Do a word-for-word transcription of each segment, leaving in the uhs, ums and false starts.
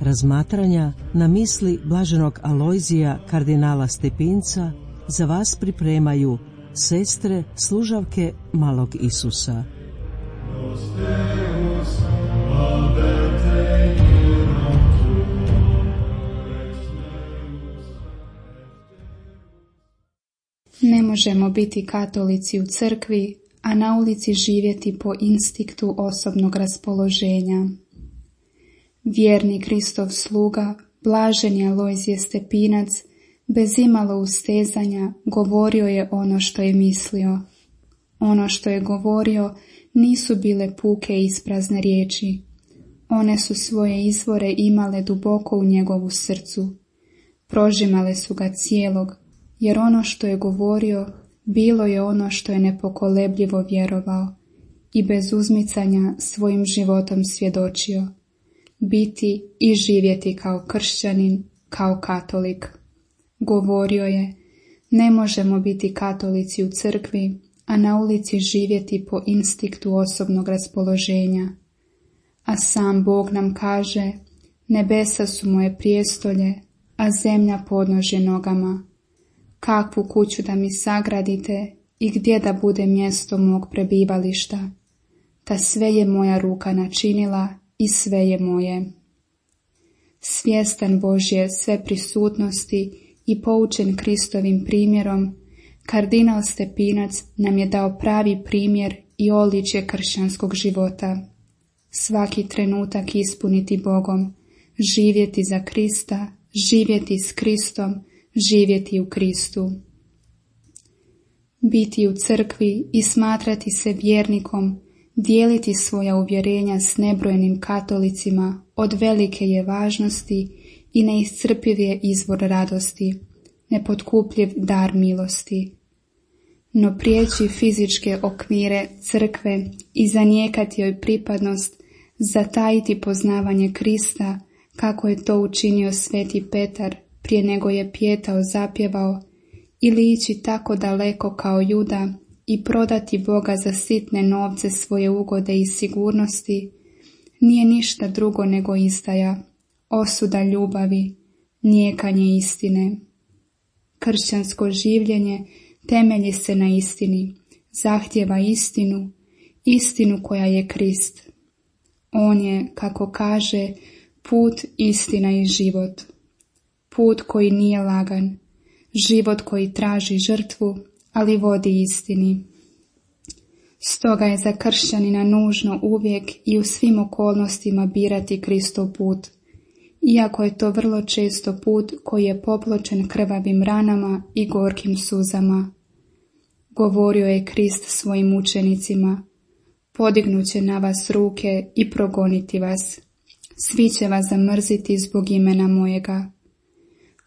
razmatranja na misli blaženog Alojzija kardinala Stepinca za vas pripremaju sestre služavke malog Isusa. Ne možemo biti katolici u crkvi, a na ulici živjeti po instinktu osobnog raspoloženja. Vjerni Kristov sluga, blaženi Alojzije Stepinac, bez imalo ustezanja govorio je ono što je mislio. Ono što je govorio nisu bile puke isprazne riječi. One su svoje izvore imale duboko u njegovu srcu. Prožimale su ga cijelog, jer ono što je govorio bilo je ono što je nepokolebljivo vjerovao i bez uzmicanja svojim životom svjedočio. Biti i živjeti kao kršćanin, kao katolik. Govorio je, ne možemo biti katolici u crkvi, a na ulici živjeti po instinktu osobnog raspoloženja. A sam Bog nam kaže, nebesa su moje prijestolje, a zemlja podnožje nogama. Kakvu kuću da mi sagradite i gdje da bude mjesto mog prebivališta? Ta sve je moja ruka načinila i sve je moje. Svjestan Božje sve prisutnosti i poučen Kristovim primjerom, kardinal Stepinac nam je dao pravi primjer i oličje kršćanskog života. Svaki trenutak ispuniti Bogom, živjeti za Krista, živjeti s Kristom, živjeti u Kristu. Biti u crkvi i smatrati se vjernikom, dijeliti svoja uvjerenja s nebrojenim katolicima od velike je važnosti i neiscrpiv je izvor radosti, nepotkupljiv dar milosti. No prijeći fizičke okvire crkve i zanijekati joj pripadnost, zatajiti poznavanje Krista, kako je to učinio sveti Petar prije nego je pijetao zapjevao, ili ići tako daleko kao Juda i prodati Boga za sitne novce svoje ugode i sigurnosti, nije ništa drugo nego izdaja, osuda ljubavi, nijekanje istine. Kršćansko življenje temelji se na istini, zahtjeva istinu, istinu koja je Krist. On je, kako kaže, put, istina i život. Put koji nije lagan, život koji traži žrtvu, ali vodi istini. Stoga je za kršćanina nužno uvijek i u svim okolnostima birati Kristov put, iako je to vrlo često put koji je popločen krvavim ranama i gorkim suzama. Govorio je Krist svojim učenicima, podignuće na vas ruke i progoniti vas, svi će vas zamrziti zbog imena mojega.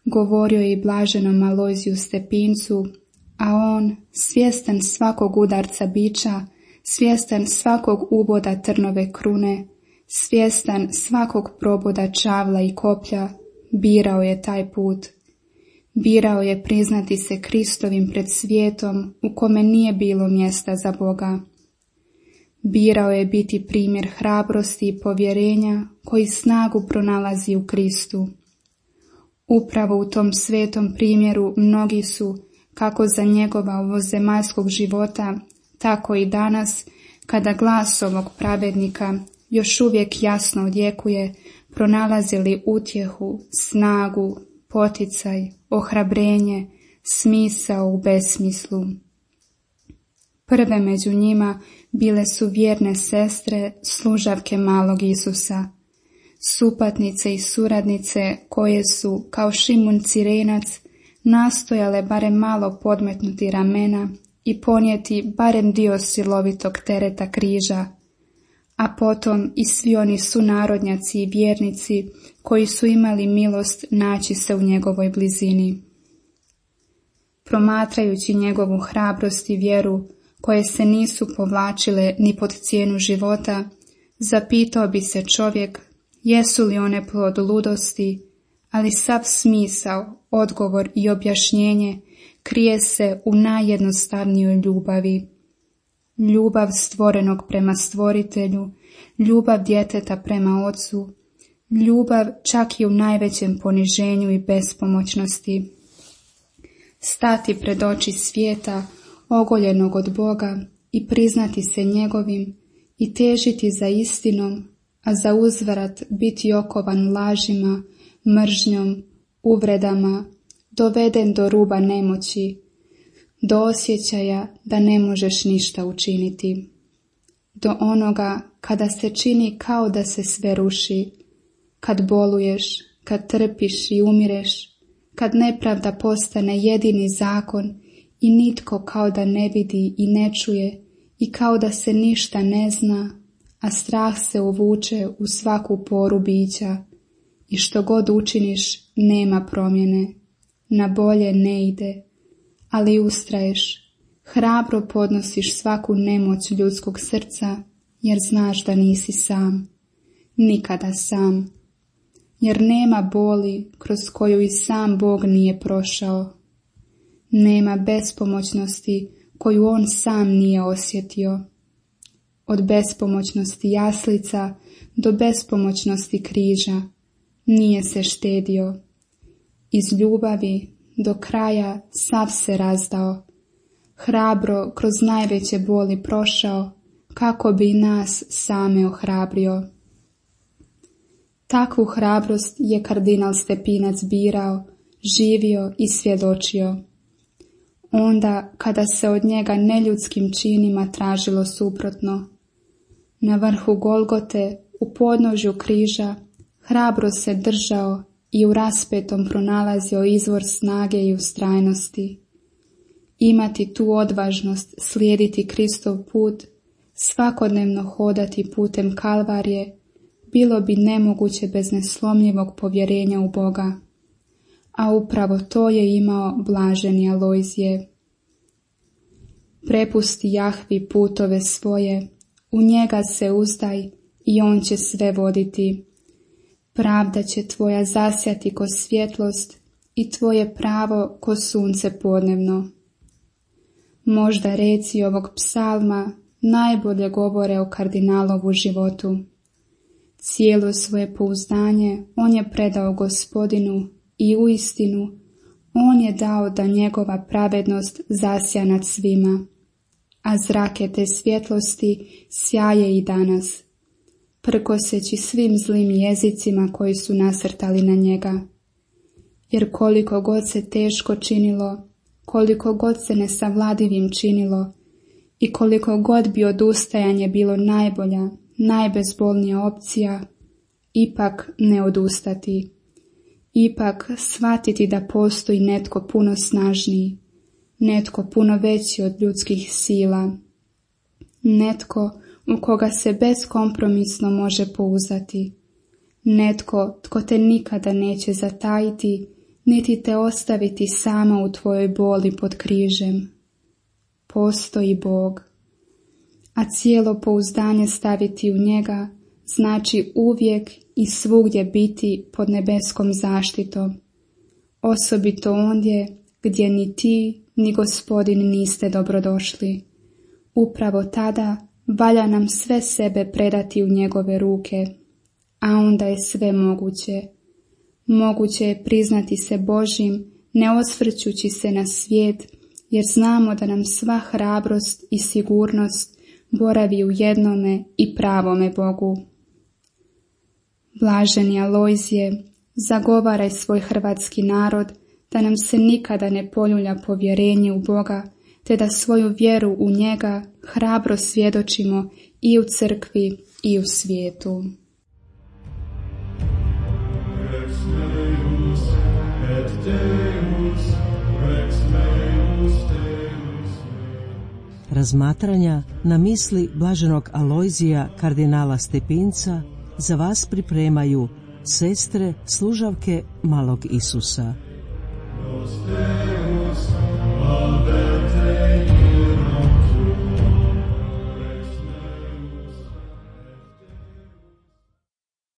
Govorio je i blaženom Alojziju Stepincu, a on, svjestan svakog udarca biča, svjestan svakog uboda trnove krune, svjestan svakog proboda čavla i koplja, birao je taj put. Birao je priznati se Kristovim pred svijetom u kome nije bilo mjesta za Boga. Birao je biti primjer hrabrosti i povjerenja koji snagu pronalazi u Kristu. Upravo u tom svetom primjeru mnogi su, kako za njegova ovozemaljskog života, tako i danas, kada glas ovog pravednika još uvijek jasno odjekuje, pronalazili utjehu, snagu, poticaj, ohrabrenje, smisao u besmislu. Prve među njima bile su vjerne sestre, služavke malog Isusa, supatnice i suradnice koje su, kao Šimun Cirenac, nastojale barem malo podmetnuti ramena i ponijeti barem dio silovitog tereta križa, a potom i svi oni sunarodnjaci i vjernici koji su imali milost naći se u njegovoj blizini. Promatrajući njegovu hrabrost i vjeru, koje se nisu povlačile ni pod cijenu života, zapitao bi se čovjek jesu li one plod ludosti, ali sav smisao, odgovor i objašnjenje krije se u najjednostavnijoj ljubavi. Ljubav stvorenog prema stvoritelju, ljubav djeteta prema ocu, ljubav čak i u najvećem poniženju i bespomoćnosti. Stati pred oči svijeta, ogoljenog od Boga, i priznati se njegovim i težiti za istinom, a za uzvrat biti okovan lažima, mržnjom, uvredama, doveden do ruba nemoći, do osjećaja da ne možeš ništa učiniti, do onoga kada se čini kao da se sve ruši, kad boluješ, kad trpiš i umireš, kad nepravda postane jedini zakon i nitko kao da ne vidi i ne čuje i kao da se ništa ne zna, a strah se uvuče u svaku poru bića i što god učiniš nema promjene, na bolje ne ide, ali ustraješ, hrabro podnosiš svaku nemoć ljudskog srca jer znaš da nisi sam, nikada sam, jer nema boli kroz koju i sam Bog nije prošao, nema bespomoćnosti koju on sam nije osjetio. Od bespomoćnosti jaslica do bespomoćnosti križa nije se štedio. Iz ljubavi do kraja sav se razdao, hrabro kroz najveće boli prošao, kako bi nas same ohrabrio. Takvu hrabrost je kardinal Stepinac birao, živio i svjedočio. Onda kada se od njega neljudskim činima tražilo suprotno, na vrhu Golgote, u podnožju križa, hrabro se držao i u raspetom pronalazio izvor snage i ustrajnosti. Imati tu odvažnost slijediti Kristov put, svakodnevno hodati putem Kalvarije, bilo bi nemoguće bez neslomljivog povjerenja u Boga. A upravo to je imao blaženi Alojzije. Prepusti Jahvi putove svoje, u njega se uzdaj i on će sve voditi. Pravda će tvoja zasjati ko svjetlost i tvoje pravo ko sunce podnevno. Možda reci ovog psalma najbolje govore o kardinalovu životu. Cijelo svoje pouzdanje on je predao Gospodinu i uistinu on je dao da njegova pravednost zasja nad svima, a zrake te svjetlosti sjaje i danas, prkoseći svim zlim jezicima koji su nasrtali na njega. Jer koliko god se teško činilo, koliko god se nesavladivim činilo i koliko god bi odustajanje bilo najbolja, najbezbolnija opcija, ipak ne odustati. Ipak shvatiti da postoji netko puno snažniji, netko puno veći od ljudskih sila, netko u koga se beskompromisno može pouzdati, netko tko te nikada neće zatajiti, niti te ostaviti sama u tvojoj boli pod križem. Postoji Bog, a cijelo pouzdanje staviti u njega znači uvijek i svugdje biti pod nebeskom zaštitom, osobito ondje gdje ni ti ni Gospodin niste dobrodošli. Upravo tada valja nam sve sebe predati u njegove ruke, a onda je sve moguće. Moguće je priznati se Božjim, ne osvrćući se na svijet, jer znamo da nam sva hrabrost i sigurnost boravi u jednome i pravome Bogu. Blaženi Alojzije, zagovaraj svoj hrvatski narod da nam se nikada ne poljulja povjerenje u Boga, te da svoju vjeru u njega hrabro svjedočimo i u crkvi i u svijetu. Razmatranja na misli blaženog Alojzija kardinala Stepinca za vas pripremaju sestre služavke malog Isusa.